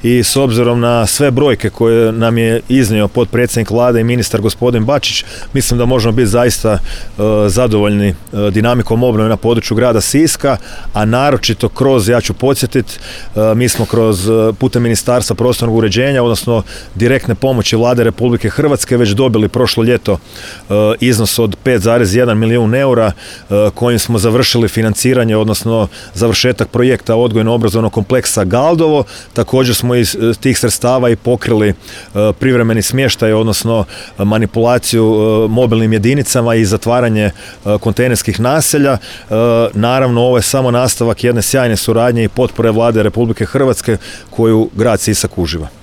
i s obzirom na sve brojke koje nam je iznio potpredsjednik Vlade i ministar gospodin Bačić, mislim da možemo biti zaista zadovoljni dinamikom obnove na području grada Siska, a naročito kroz, ja ću podsjetiti, mi smo putem Ministarstva prostornog uređenja, odnosno direktne pomoći Vlade Republike Hrvatske već dobili prošlo ljeto iznos od 5,1 milijun eura kojim smo završili financiranje, odnosno završetak projekta odgojno-obrazovnog kompleksa Galdovo. Također smo iz tih sredstava i pokrili privremeni smještaj, odnosno manipulaciju mobilnim jedinicama i zatvaranje kontejnerskih naselja. Naravno, ovo je samo nastavak jedne sjajne suradnje i potpore Vlade Republike Hrvatske koju grad Sisak uživa.